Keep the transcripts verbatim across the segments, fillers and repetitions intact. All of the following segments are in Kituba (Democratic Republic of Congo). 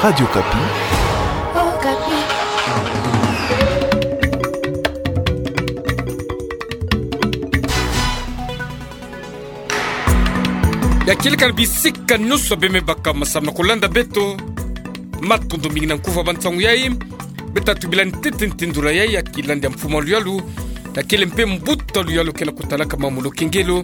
Radio Okapi. Okapi. Ya kieleka na bisika nyonso bemebaka masamu na kolanda beto. Matondo mingi na nkufi ya bansangu yai. Beto tubila ntete ntindula yai ya kilandi ya mfumu a luyalu. Ya kele mpe mbuta luyalu ke na kutalaka mamu lokengelo.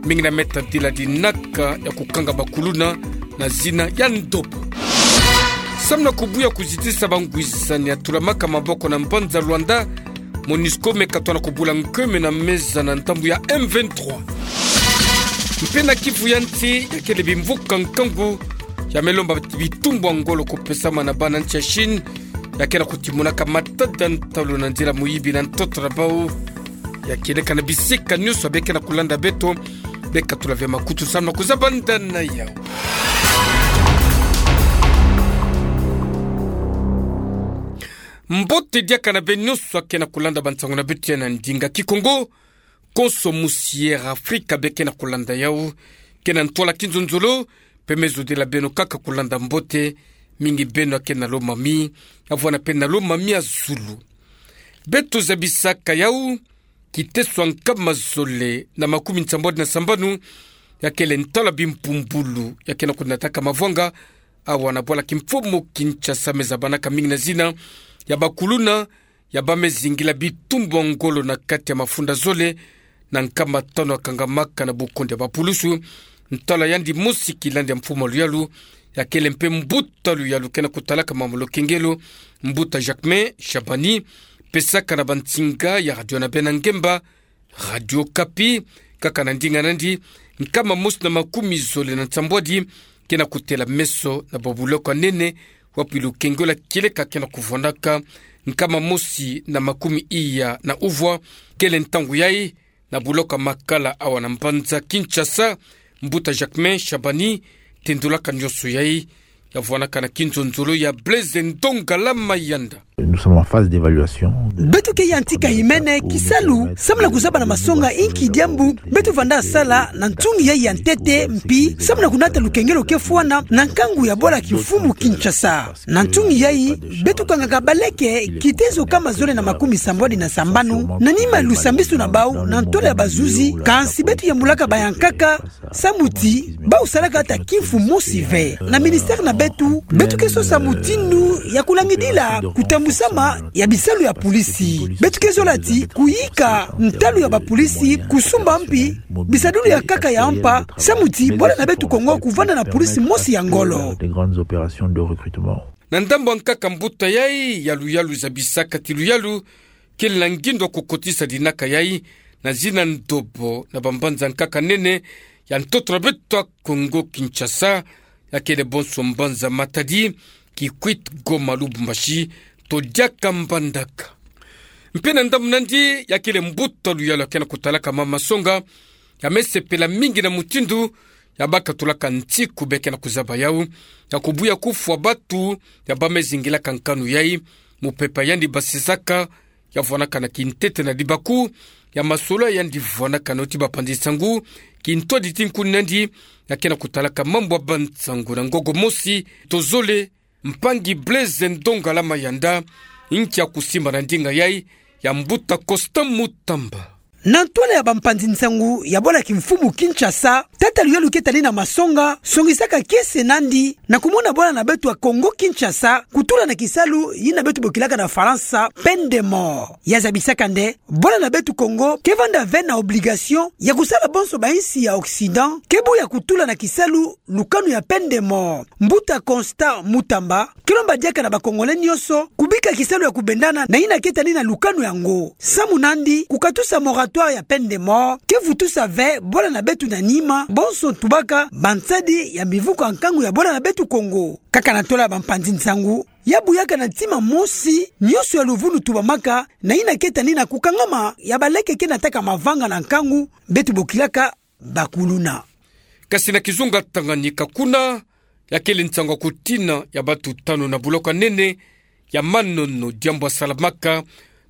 Mingi na meta dila dinaka ya kukanga bakuluna na zina ya ndobo. Samu na kubuya kuzitisa bangwisani ya tulamaka maboko na mbanza Luanda, Monusco me katona kubula nkeme na meza na ntambu ya M vingt-trois. Mpe na Kivu ya nsi, ya kele bimvuka nkangu ya me lomba bitumbu ya ngolo kupesama na bana nsi ya Chine, ya ke na kutimunaka matada ntalu na nzila muyibi na ntoto na bau. Ya kieleka na bisika nyonso be ke na kulanda beto, be katula ve makutu samu na kuzabanda na yau. Mbote diaka na beno nyonso ke na kulanda bansangu na beto ya na ndinga Kikongo. Konso musi Air Afrika be ke na kulanda yau, ke na ntwala kinzonzolo, mpe me zodila beno kaka kulanda mbote, mingi beno ke na lomami, ya vwanda mpe na lomami ya zulu. Beto zabisaka yau, kiteso ya nkama zole na makumi nsambwadi na sambanu, ya kele ntwala bimpumbulu, ya ke na kunataka mavwanga, awa na bwala kimfumu Kinshasa me zabanaka mingi na zina ya bakuluna, ya ba me zingila bitumbu ya ngolo na kati ya mafunda zole na nkama tanu ya kangamaka na bukundi ya bapulusu. Ntwala yandi mosi kilandi ya mfumu a luyalu, ya kele mpe mbuta luyalu ke na kutalaka mamu lokengelo, mbuta Jacquemain Shabani, pesaka na bansinga ya radio na bena ngemba, Radio Okapi, kaka na ndinga nandi, nkama mosi na makumi zole na nsambwadi, ke na kutela meso na babuloko ya nene, wapi lukengelo kieleka ke na kuvwandaka, nkama mosi na makumi iya na uvwa, kele ntangu yai, na buloko ya Makala awa na mbanza Kinshasa, mbuta Jacquemain Shabani, tendulaka nyonso yai, ya vwanaka na kinzonzolo ya Blaise Ndongala Mayanda. Nous sommes en phase d'évaluation. Beto ke yantika himene kisalu, samu na kuzaba na masonga inki diambu beto vanda sala na ntungi yai ya ntete, mpi samu na kunata lukengelo ke fwana na nkangu ya bwala kimfumu Kinshasa. Na ntungi yai, beto kangaka baleke kiteso nkama zole na makumi sambwadi na sambanu, na nima ya lusambisulu na bau na ntwala ya bazuzi, kansi beto yambulaka bayankaka, samu ti bau salaka ata kimfu mosi ve. Na ministère na beto, beto ke sosa mutindu ya kulangidila kutambusama ya bisalu ya pulisi. Beto ke zola ti kuyika ntalu ya bapulisi, kusumba mpi bisadulu ya nkaka ya mpa, samu ti bwala na beto Kongo kuvanda na pulisi mosi ya ngolo. Na ndambu ya nkaka, mbuta yai ya luyalu zabisaka ti luyalu kele na ngindo ya kukotisa dinaka yai na zina ndobo na bambanza nkaka nene ya ntoto na beto ya Kongo Kinshasa, ya kele bonso mbanza Matadi, Kikwit, Goma, Lubumbashi, to diaka Mbandaka. Mpe na ndambu nandi, ya kele mbuta luyalu ya ke na kutalaka mama masonga, ya me sepela mingi na mutindu ya ba katulaka nsiku be ke na kuzaba yau, ya kubuya kufwa batu ya ba me zingilaka nkanu yai, mupepe yandi basisaka, ya vwanaka na kintete na dibaku ya masolo yandi vwanaka na yo ti bapanzi nsangu, kintwadi ti nkuni nandi, ya ke na kutalaka mambu ya bansangu na ngolo mosi to zole, mpangi Blaise Ndongala Mayanda, nki ya kusimba na ndinga yai ya mbuta Constant Mutamba. Na ntwala ya bampanzi nsangu ya bwala kimfumu Kinshasa, tata luyalu ke tani na masonga songisaka kiese nandi na kumona bwala na beto ya Kongo Kinshasa kutula na kisalu yina beto bokilaka na Falansa peine de mort. Ya zabisaka nde bwala na beto Kongo ke vanda ve na obligation ya kusala bonso bainsi ya Occident ke buya kutula na kisalu lukanu ya peine de mort. Mbuta Constant Mutamba ke lomba diaka na ba Congolais nyonso kubika kisalu ya kubendana na yina ke tani na lukanu yango. Samu nandi, kukatusa moratoire ya peine de mort ke vutusa ve bwala na beto na nima, bonso tubaka bansadi ya mivuka nkangu ya bwala na beto Kongo. Kaka na ntwala ya bampanzi nsangu, ya buyaka na ntima mosi nyonso ya luvunu tubamaka na yina ke tani na kukangama ya baleke ke nataka mavanga na nkangu, beto bokilaka bakuluna. Kasi na kizunga Tanganyika kuna, ya kele nsangu ya kutina ya batu tanu na buloko ya nene ya manono, diambu ya salamaka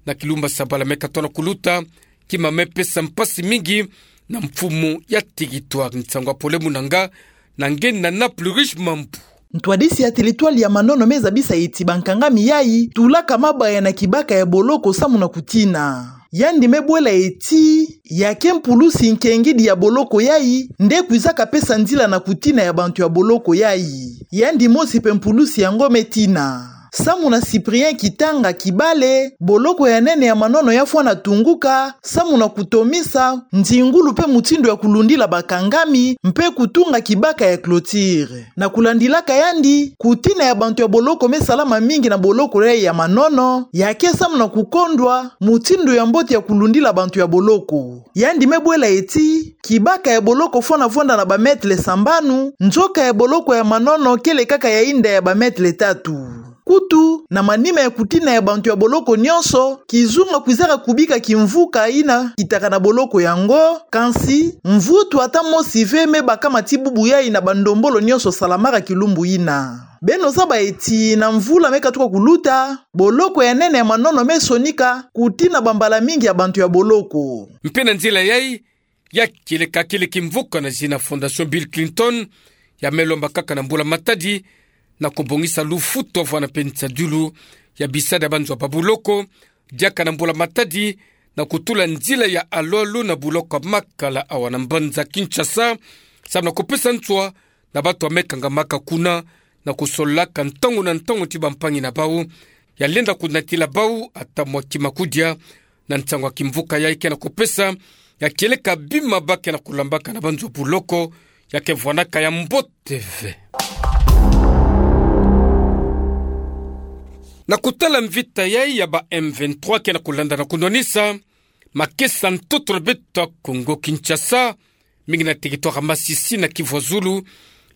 na kilumbu ya sabala me katona kuluta, kima me pesa mpasi mingi na mfumu ya territoire. Nsangu ya Pole Munanga, na nge na Nana Plurish Mambu. Ntwadisi ya territoire ya Manono me zabisa eti bankangami yayi tulaka mabaya na kibaka ya boloko samu na kutina. Yandi me bwela eti, ya ke mpulusi nkengidi ya boloko yayi nde kwizaka pesa nzila na kutina ya bantu ya boloko yayi. Yandi mosi mpe mpulusi yango me tina. Samu na Cyprien Kitanga Kibale, boloko ya nene ya Manono ya fwana tunguka samu na kutomisa nzingulu mpe mutindu ya kulundila bakangami mpe kutunga kibaka ya clôture. Na kulandilaka yandi, kutina ya bantu ya boloko me salama mingi na boloko yayi ya Manono, ya ke samu na kukondwa mutindu ya mbote ya kulundila bantu ya boloko. Yandi me bwela eti, kibaka ya boloko fwana vwanda na ba mètres sambanu, nzoka ya boloko ya Manono kele kaka ya inda ya ba mètres tatu. Kutu, na manima ya kutina ya bantu ya boloko nyonso, kizunga kwizaka kubika kimvuka yina kitaka na boloko yango, kansi mvutu ata mosi ve me bakama ti bubu yayi na bandombolo nyonso salamaka kilumbu yina. Beno zaba eti na mvula me katuka kuluta, boloko ya nene ya Manono me sonika kutina bambala mingi ya bantu ya boloko. Mpe na nzila yayi, ya kieleka kele kimvuka na zina Fondation Bill Clinton, ya me lomba kaka na mbula matadi, na kubongisa lufutu vwana mpe nsadilu ya bisadi ya banzo ya babuloko, diaka na mbula matadi, na kutula nzila ya alualu na buloko ya Makala awa na mbanza Kinshasa, samu na kupesa nswa na bantu ya me kangamaka kuna, na kusololaka ntangu na ntangu ti bampangi na bau, ya lenda kunatila bau ata mwa kima kudia, na nsangu ya kimvuka yayi ke na kupesa, ya kieleka bima ba ke na kulambaka na banzo ya buloko, ya ke vwanaka ya mbote ve. Na kutala mvita yayi ya ba M vingt-trois ke na kulanda na kunwanisa makesa ntoto na beto ya Kongo Kinshasa, mingi na territoire ya Masisi na Kivu ya Zulu,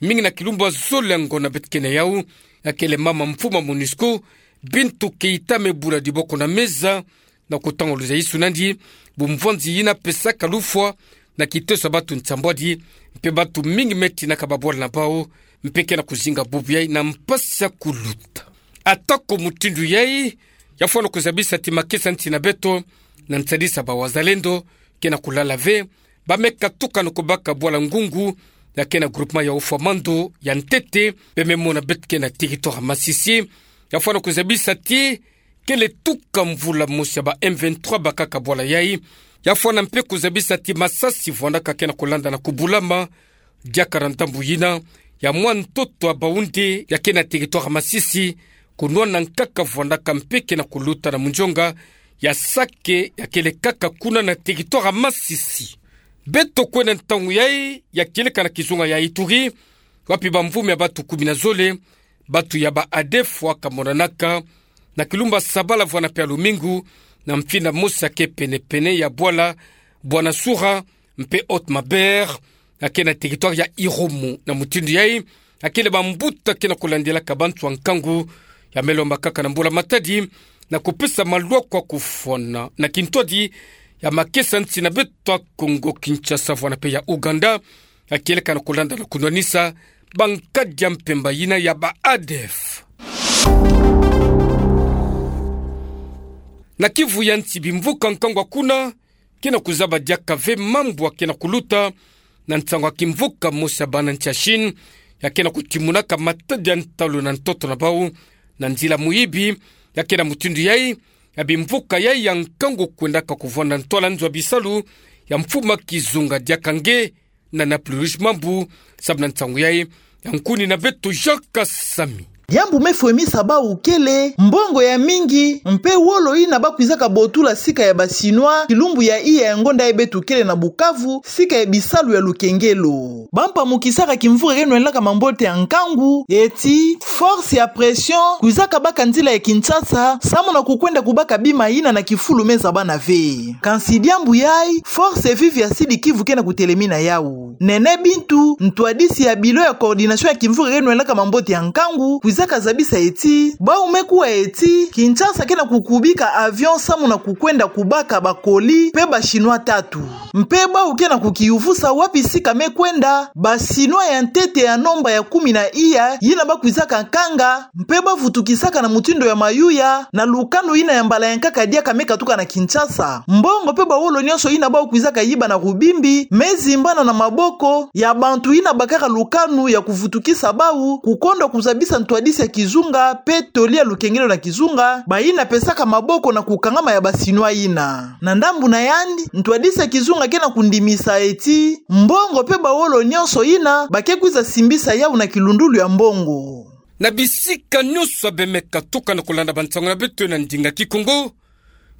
mingi na kilumbu ya zole ya ngonda beto ke na yau, ya kele mama mfumu ya MONUSCO, Bintou Keita me bula diboko na meza, na kutanguluza isu nandi bumvwanzi yina pesaka lufwa na kiteso ya bantu nsambwadi, mpe bantu mingi me tinaka babwala na bau, mpe ke na kuzinga bubu yayi na mpasi ya kuluta. Ata ko mutindu yayi, ya fwana kuzabisa ti makesa nsi na beto, na nsadisa ba wazalendo, ke na kulala ve, ba me katuka na kubaka bwala Ngungu, ya ke na groupement ya Oufouer-Mando, ya ntete, mpe me mona beto ke na territoire ya Masisi, ya fwana kuzabisa ti, kele tuka mvula mosi ya ba M vingt-trois bakaka bwala yayi, ya fwana mpe kuzabisa ti masasi vwandaka ke na kulanda na kubulama, diaka na ndambu yina ya mwa ntoto ya Baoundé, ya ke na territoire ya Masisi, kunwana nkaka vwandaka mpe ke na kuluta na munzonga ya Sake, ya kele kaka kuna na territoire ya Masisi. Beto kwenda ntangu yayi, ya kieleka na kizunga ya Ituri, wapi bamvumu ya bantu kumi na zole, bantu ya ba ADF wakamonanaka, na kilumbu ya sabala vwana mpe ya lumingu, na mfinda mosi ya ke pene-pene ya bwala Bwanasoura, mpe Haut-Maubert, ya ke na territoire ya Irumu. Na mutindu yayi, ya kele bambuta ke na kulandilaka bantu ya nkangu, ya me lomba kaka na mbula matadi, na kupesa malwa kwa kufwana na kintwadi ya makesa nsi na beto ya Kongo Kinshasa vwana mpe ya Ouganda, ya kieleka na kulanda na kunwanisa bankadi ya mpemba yina ya ba ADF. Na Kivu ya nsi bimvuka nkangu kuna, ke na kuzaba diaka ve mambu ya ke na kuluta, na nsangu ya kimvuka mosi ya bana nsi ya Chine, ya ke na kutimunaka matadi ya ntalu na ntoto na bau, na nzila muyibi, ya ke na mutindu yayi, ya bimvuka yayi ya nkangu kwendaka kuvwanda ntwala nzo ya bisalu, ya mfumu ya kizunga diaka nge, na Naples Rouge Mambu, samu na nsangu yayi, ya nkuni na beto Jacques Samy. Diambu me fwemisa bau kele mbongo ya mingi, mpe wolo yina ba kwizaka botula sika ya ba Chinois, kilumbu ya iya ya ngonda yayi beto kele na Bukavu, sika ya bisalu ya lukengelo. Ba mpamukisaka kimvuka ke nwenlaka mambote ya nkangu, eti, force ya pression, kwizaka baka nzila ya Kinshasa, samu na kukwenda kubaka bima yina na kifulu me zabana ve. Kansi diambu yayi, force vive ya Sud-Kivu ke na kutelemina yau. Nene Bintou, ntwadisi ya Bureau ya coordination ya kimvuka ke nwenlaka mambote ya nkangu, kwiza ka zabisa eti, bau me kuwa eti, Kinshasa ke na kukubika avion samu na kukwenda kubaka ba colis pe ba Chinois tatu. Mpe bau ke na kukiyuvusa wapi sika me kwenda, ba Chinois ya ntete ya nomba ya kumi na iya, yina ba kwizaka kanga, mpe ba vutukisaka na mutindu ya mayuya, na lukanu yina ya mbala ya nkaka diaka me katuka na Kinshasa. Mbongo pe bawolo nyonso yina bau kwizaka yiba na kubimbi, me zimbana na maboko ya bantu yina bakaka lukanu ya kuvutukisa bau, kukondwa kuzabisa ntwadisi ya kizunga, pe toli ya lukengelo na kizunga, bayina pesaka maboko na kukangama ya ba Chinois yina. Na ndambu na yandi, ntwadisi ya kizunga ke na kundimisa eti, mbongo pe bawolo nyonso yina, ba ke kwiza simbisa yau na kilundulu ya mbongo. Na bisika nyonso bemeka tuka na kulanda bansangu na beto na ndinga Kikongo,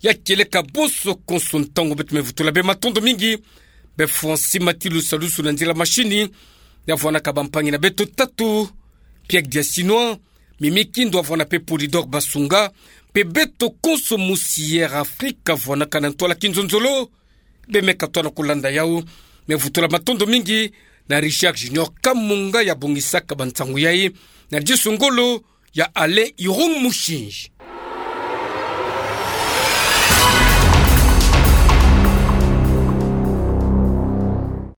ya kieleka bonso konso ntangu beto me vutula bê matondo mingi, bê Francis Matilu Salusu na nzila machine, ya vwanaka bampangi na beto tatu, Pierre Diasinois, Mimi Kindu ya vwana pe Polydor Basunga, pe beto konso musi Air Afrique ya vwanaka na ntwala kinzonzolo, bemeka twa na kulanda yau, me vutula matondo mingi, na Richard Junior Kamunga ya bongisaka bansangu yayi, na disu ngolo, ya Alain Irung Mushinji.